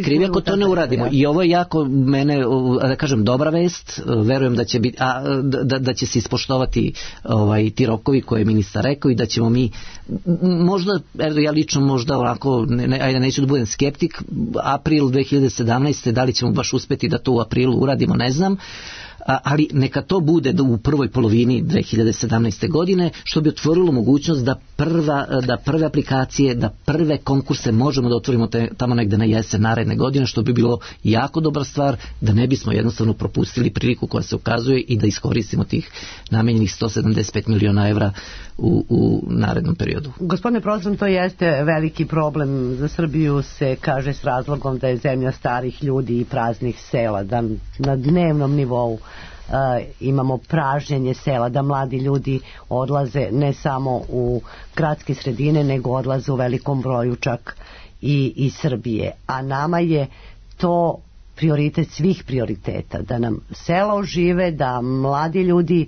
krivi ako to ne uradimo. I ovo je jako mene, da kažem, dobra vest. Verujem da će biti, da će se ispoštovati ti rokovi koje je ministar rekao i da ćemo mi možda, ja lično možda ovako, ajde neću da budem skeptik, april 2017. da li ćemo baš uspeti da to u aprilu uradimo, ne znam. Ali neka to bude u prvoj polovini 2017. godine, što bi otvorilo mogućnost da prve aplikacije, da prve konkurse možemo da otvorimo tamo negde na jesen naredne godine, što bi bilo jako dobra stvar, da ne bismo jednostavno propustili priliku koja se ukazuje i da iskoristimo tih namenjenih 175 miliona evra u narednom periodu. Gospodine profesor, to jeste veliki problem za Srbiju, se kaže s razlogom da je zemlja starih ljudi i praznih sela, da na dnevnom nivou imamo pražnjenje sela, da mladi ljudi odlaze ne samo u gradske sredine, nego odlaze u velikom broju čak i iz Srbije. A nama je to prioritet svih prioriteta, da nam sela ožive, da mladi ljudi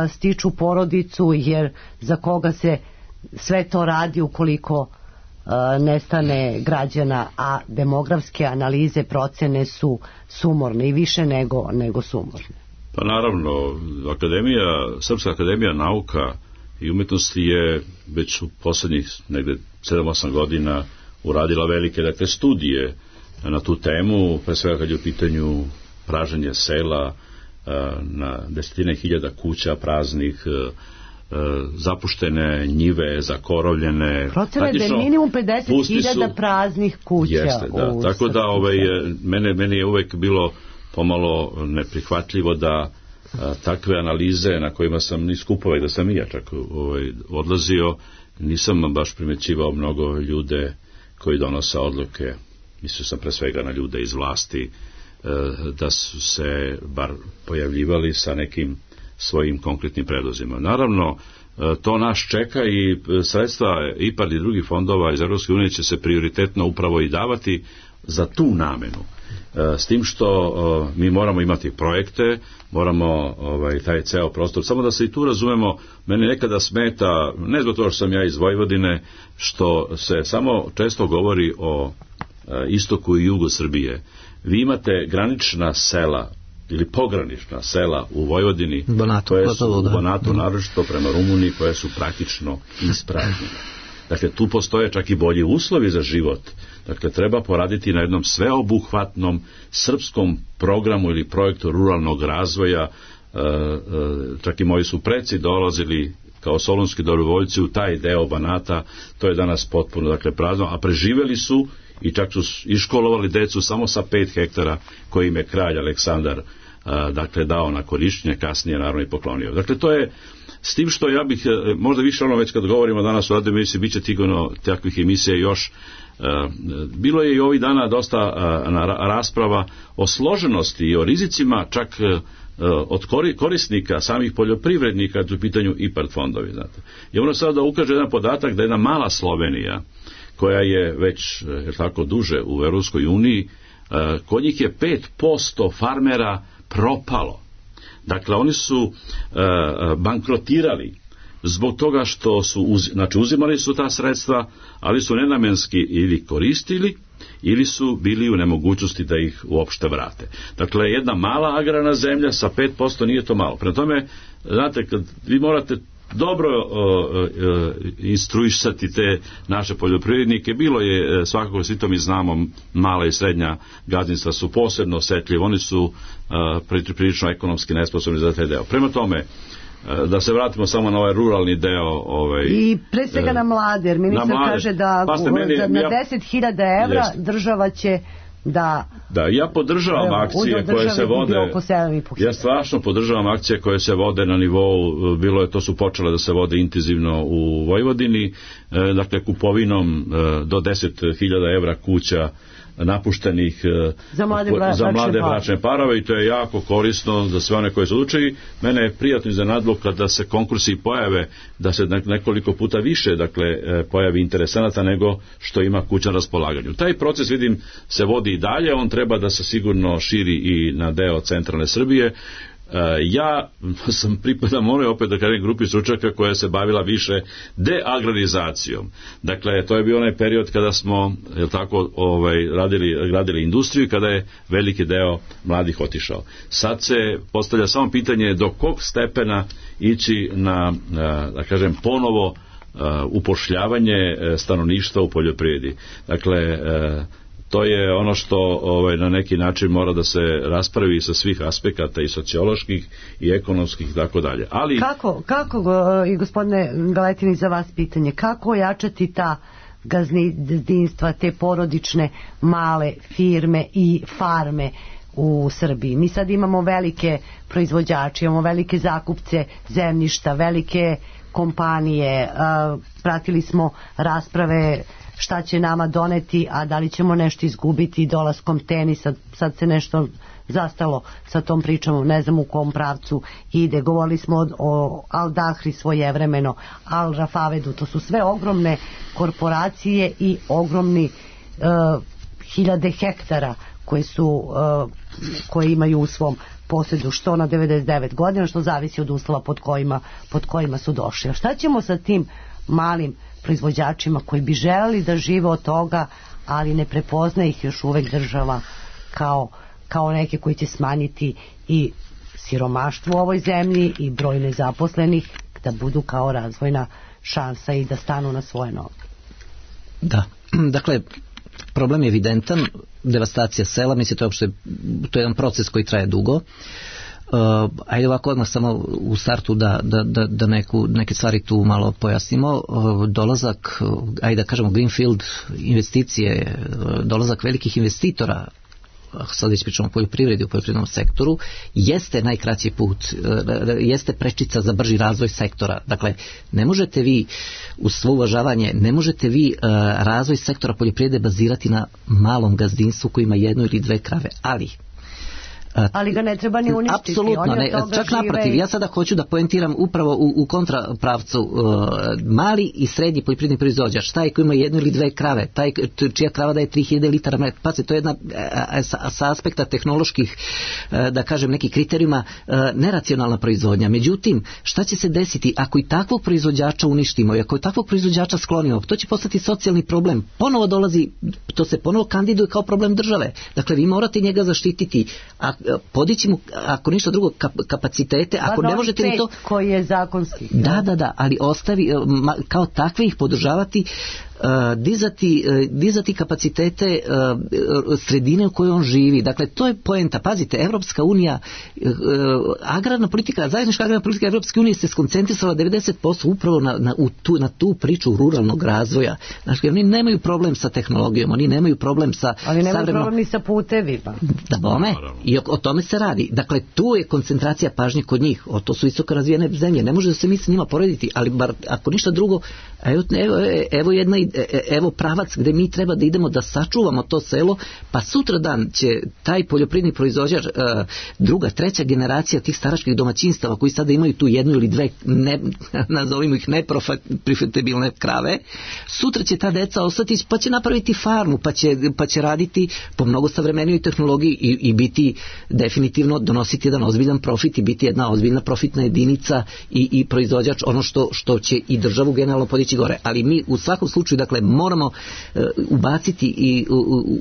stiču porodicu, jer za koga se sve to radi ukoliko nestane građana, a demografske analize, procene su sumorne i više nego sumorne. Pa naravno, Srpska akademija nauka i umetnosti je već u poslednjih negde 7-8 godina uradila velike studije na tu temu, pre svega kad je u pitanju praženje sela, na desetine hiljada kuća praznih, zapuštene njive, zakorovljene. Procene da je minimum 50.000 praznih kuća. Jeste, da. Tako da meni je uvek bilo pomalo neprihvatljivo da takve analize na kojima sam ni skupove, da sam i ja čak odlazio, nisam baš primećivao mnogo ljude koji donose odluke, mislio sam pre svega na ljude iz vlasti, da su se bar pojavljivali sa nekim svojim konkretnim predlozima. Naravno, to nas čeka i sredstva IPARD i drugih fondova iz Evropske unije će se prioritetno upravo i davati za tu namenu. S tim što mi moramo imati projekte, moramo taj ceo prostor, samo da se i tu razumemo, mene nekada smeta, ne zbog toga što sam ja iz Vojvodine, što se samo često govori o istoku i jugu Srbije. Vi imate granična sela ili pogranična sela u Vojvodini, koje su u Banatu naročito prema Rumuniji, koje su praktično ispražnjene. Dakle, tu postoje čak i bolji uslovi za život. Dakle, treba poraditi na jednom sveobuhvatnom srpskom programu ili projektu ruralnog razvoja. Čak i moji su preci dolazili kao solunski dobrovoljci u taj deo Banata, to je danas potpuno prazno, a preživeli su i čak su iškolovali decu samo sa 5 hektara koje im je kralj Aleksandar dao na korišćenje, kasnije naravno i poklonio. Dakle, to je s tim što ja bih, možda više već kad govorimo danas o radio emisiji, bit će takvih emisija još. Bilo je i ovih dana dosta rasprava o složenosti i o rizicima čak od korisnika, samih poljoprivrednika, kad su u pitanju IPARD fondovi, znate. I ono sada ukaže jedan podatak da jedna mala Slovenija, koja je već tako duže u Europskoj uniji, kod njih je 5% farmera propalo. Dakle, oni su bankrotirali zbog toga što su, uzimali su ta sredstva, ali su nenamenski ili koristili, ili su bili u nemogućnosti da ih uopšte vrate. Dakle, jedna mala agrarna zemlja sa 5% nije to malo. Prema tome, znate, kad vi morate dobro instruisati te naše poljoprivrednike, bilo je, svakako svi to mi znamo, mala i srednja gazdinstva su posebno osjetljivi, oni su prilično ekonomski nesposobni za taj deo. Prema tome, da se vratimo samo na ovaj ruralni deo. I pre svega na mlade, jer ministar kaže da na 10.000 evra država će da, ja podržavam akcije koje se vode. Ja strašno podržavam akcije koje se vode na nivou, to su počele da se vode intenzivno u Vojvodini, dakle kupovinom do 10.000 evra kuća napuštenih za mlade bračne parove, i to je jako korisno za sve one koje su odlučili. Mene je prijatno iznenadilo kada se konkursi pojave, da se nekoliko puta više pojavi interesenata nego što ima kuća na raspolaganju. Taj proces, vidim, se vodi i dalje, on treba da se sigurno širi i na deo centralne Srbije. Ja sam pripadam opet da kažem grupi stručnjaka koja se bavila više deagrarizacijom. Dakle, to je bio onaj period kada smo radili industriju, kada je veliki deo mladih otišao. Sad se postavlja samo pitanje do kog stepena ići na, da kažem, ponovo upošljavanje stanovništva u poljoprivredi. Dakle, to je ono što na neki način mora da se raspravi sa svih aspekata, i socioloških i ekonomskih i tako dalje. Ali kako i gospodine Galetini, za vas pitanje, kako ojačati ta gazdinstva, te porodične male firme i farme u Srbiji? Mi sad imamo velike proizvođače, imamo velike zakupce zemljišta, velike kompanije, pratili smo rasprave šta će nama doneti, a da li ćemo nešto izgubiti dolaskom tenisa. Sad se nešto zastalo sa tom pričom, ne znam u kom pravcu ide. Govorili smo o Al Dahri svojevremeno, Al Rafavedu, to su sve ogromne korporacije i ogromni hiljade hektara koje imaju u svom posjedu, što na 99 godina, što zavisi od uslova pod kojima su došli. A šta ćemo sa tim malim proizvođačima koji bi želeli da žive od toga, ali ne prepozna ih još uvek država kao neke koji će smanjiti i siromaštvo u ovoj zemlji i broj nezaposlenih, da budu kao razvojna šansa i da stanu na svoje noge? Da, dakle, problem je evidentan, devastacija sela, mislim, to je jedan proces koji traje dugo. Ajde ovako odmah samo u startu da neke stvari tu malo pojasnimo. Dolazak, ajde da kažemo greenfield investicije, dolazak velikih investitora, sad već pričamo o poljoprivredi, u poljoprivrednom sektoru, jeste najkraći put, jeste prečica za brži razvoj sektora. Dakle, ne možete vi, uz svo uvažavanje, ne možete vi razvoj sektora poljoprivrede bazirati na malom gazdinstvu koji ima 1 ili 2 krave, ali ga ne treba ni uništiti. Apsolutno ne, čak naprotiv, ja sada hoću da poentiram upravo u kontrapravcu. Mali i srednji poljoprivredni proizvođač, taj koji ima 1 ili 2 krave, taj čija krava daje 3000 litara mleka, pa to je jedna sa aspekta tehnoloških, da kažem, nekih kriterijuma neracionalna proizvodnja. Međutim, šta će se desiti ako i takvog proizvođača uništimo i ako i takvog proizvođača sklonimo? To će postati socijalni problem. Ponovo dolazi, to se ponovo kandiduje kao problem države. Dakle, vi morate njega zaštititi, podići mu, ako ništa drugo, kapacitete, ako ne možete ni to, koji je zakonski. Da, ali kao takve ih podržavati, dizati kapacitete sredine u kojoj on živi. Dakle, to je poenta. Pazite, Evropska unija, agrarna politika, zajednička agrarna politika Evropske unije se skoncentrisala 90% upravo na tu priču ruralnog razvoja. Znači, oni nemaju problem sa tehnologijom, oni nemaju problem sa ali nemaju problem ni sa putevima. Da bome, i o tome se radi. Dakle, tu je koncentracija pažnje kod njih. To su visoko razvijene zemlje. Ne može da se mi s njima porediti, ali bar, ako ništa drugo, evo jedna ideja evo pravac gde mi treba da idemo da sačuvamo to selo, pa sutra dan će taj poljoprivredni proizvođač, druga, treća generacija tih staračkih domaćinstava koji sada imaju tu jednu ili dve, nazovimo ih neprofitabilne krave, sutra će ta deca ostati pa će napraviti farmu, pa će raditi po mnogo savremenijoj tehnologiji i biti definitivno donositi jedan ozbiljan profit i biti jedna ozbiljna profitna jedinica i proizvođač, ono što će i državu generalno podići gore. Ali mi u svakom slučaju, dakle, moramo ubaciti i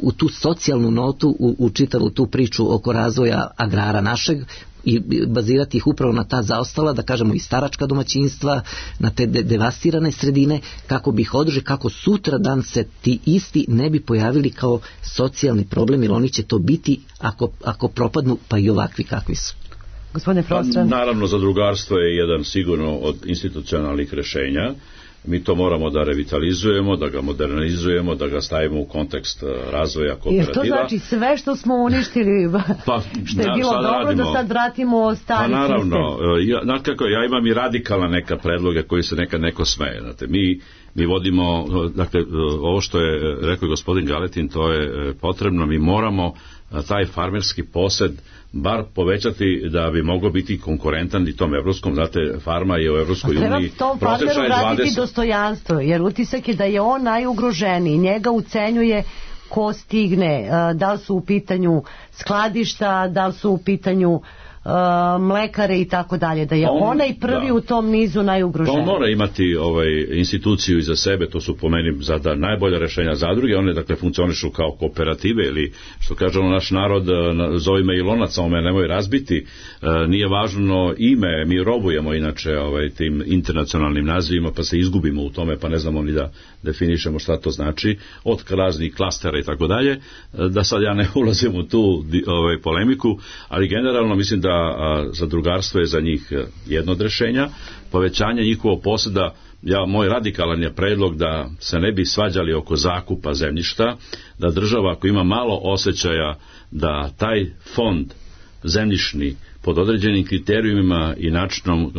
u tu socijalnu notu, u čitavu tu priču oko razvoja agrara našeg i bazirati ih upravo na ta zaostala, da kažemo, i staračka domaćinstva, na te devastirane sredine, kako bi ih održali, kako sutra dan se ti isti ne bi pojavili kao socijalni problem, jer oni će to biti ako propadnu, pa i ovakvi kakvi su. Gospodine Prostran. Naravno, zadrugarstvo je jedan sigurno od institucionalnih rešenja. Mi to moramo da revitalizujemo, da ga modernizujemo, da ga stavimo u kontekst razvoja kooperativa. Jer to znači sve što smo uništili, što je bilo dobro, radimo, da sad vratimo stari sistem. Pa naravno, ja imam i radikalna neka predloga koji se nekad neko smeje. Znate, mi vodimo, dakle, ovo što je rekao gospodin Galetin, to je potrebno, mi moramo taj farmerski posed bar povećati da bi moglo biti konkurentan i tom evropskom, znate, farma je u Evropskoj uniji. Treba tom farmeru vratiti dostojanstvo, jer utisak je da je on najugroženiji, njega ucenjuje ko stigne, da li su u pitanju skladišta, da li su u pitanju mlekare i tako dalje, da je onaj prvi u tom nizu najugroženiji. On mora imati instituciju iza sebe, to su po meni sada najbolja rešenja zadruge, one dakle funkcionišu kao kooperative ili što kaže naš narod, zove me i lonac, a me nemoj razbiti, nije važno ime, mi robujemo inače tim internacionalnim nazivima pa se izgubimo u tome pa ne znamo ni da definišemo šta to znači, od raznih klastera i tako dalje, da sad ja ne ulazim u tu polemiku, ali generalno mislim da zadrugarstvo je za njih jedno od rešenja, povećanje njihovog poseda, moj radikalan je predlog da se ne bi svađali oko zakupa zemljišta, da država ako ima malo osjećaja da taj fond zemljišni pod određenim kriterijumima i načinom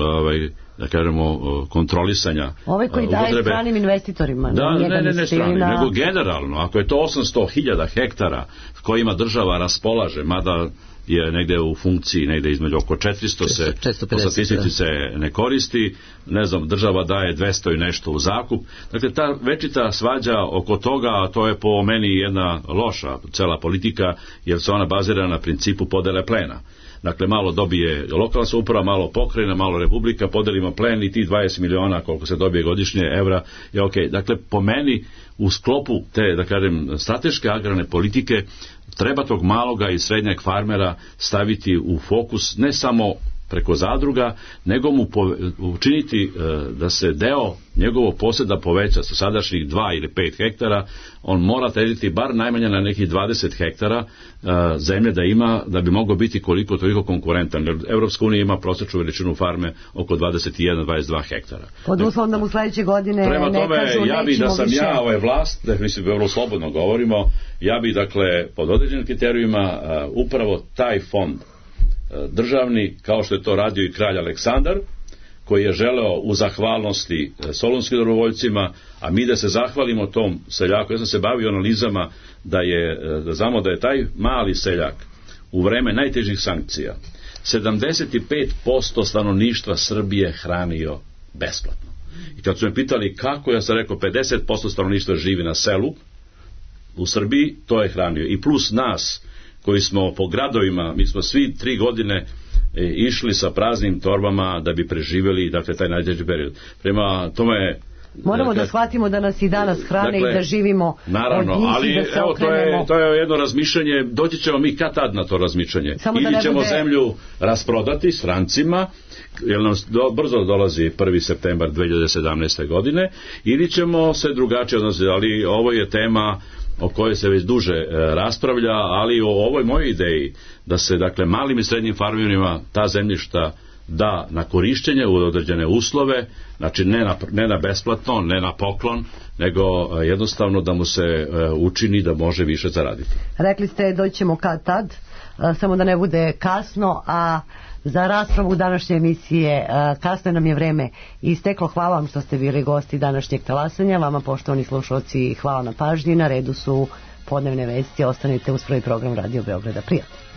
da kažemo kontrolisanja koji daje stranim investitorima. Ne stranim, nego generalno, ako je to 800.000 hektara kojima država raspolaže, mada je negde u funkciji, negde između oko 400 se, po statistici se ne koristi, ne znam, država daje 200 i nešto u zakup. Dakle, ta večita svađa oko toga, to je po meni jedna loša cela politika, jer se ona bazira na principu podele plena. Dakle, malo dobije lokalna samouprava, malo pokrajina, malo republika, podelimo plen i ti 20 miliona koliko se dobije godišnje evra je ok. Dakle, po meni u sklopu te, da kažem, strateške agrarne politike treba tog maloga i srednjeg farmera staviti u fokus ne samo preko zadruga, nego mu učiniti da se deo njegovog poseda poveća sa sadašnjih 2 ili 5 hektara, on mora težiti bar najmanje na nekih 20 hektara zemlje da ima, da bi mogao biti koliko toliko konkurentan. Evropska unija ima prosječnu veličinu farme oko 21-22 hektara. Pod uslovom da mu sledeće godine prema ne tome, kažu ja bi da sam više. Ja vlast, da mislim vrlo slobodno govorimo, ja bi dakle pod određenim kriterijima upravo taj fond državni, kao što je to radio i kralj Aleksandar, koji je želeo u zahvalnosti solunskim dobrovoljcima, a mi da se zahvalimo tom seljaku. Ja sam se bavio analizama da znamo da je taj mali seljak u vreme najtežih sankcija 75% stanovništva Srbije hranio besplatno. I kad su me pitali kako, ja sam rekao 50% stanovništva živi na selu u Srbiji, to je hranio. I plus nas koji smo po gradovima, mi smo svi 3 godine išli sa praznim torbama da bi preživjeli, dakle, taj najteži period. Prema tome moramo da shvatimo da nas i danas hrane i da živimo naravno, od njih ali, i da se evo, okrenemo. to je jedno razmišljanje, doći ćemo mi kad tad na to razmišljanje. Ili ćemo zemlju rasprodati strancima, jer nam brzo dolazi 1. septembar 2017. godine, ili ćemo se drugačije odnositi, ali ovo je tema o kojoj se već duže raspravlja, ali o ovoj mojoj ideji da se, dakle, malim i srednjim farmerima ta zemljišta da na korišćenje u određene uslove, znači ne na besplatno, ne na poklon, nego jednostavno da mu se učini da može više zaraditi. Rekli ste doćemo kad tad, samo da ne bude kasno, a za raspravu današnje emisije. Kasno nam je vreme isteklo. Hvala vam što ste bili gosti današnjeg talasanja. Vama, poštovani slušalci, hvala na pažnji. Na redu su podnevne vesti. Ostanite uz prvi program Radio Beograda. Prijatno.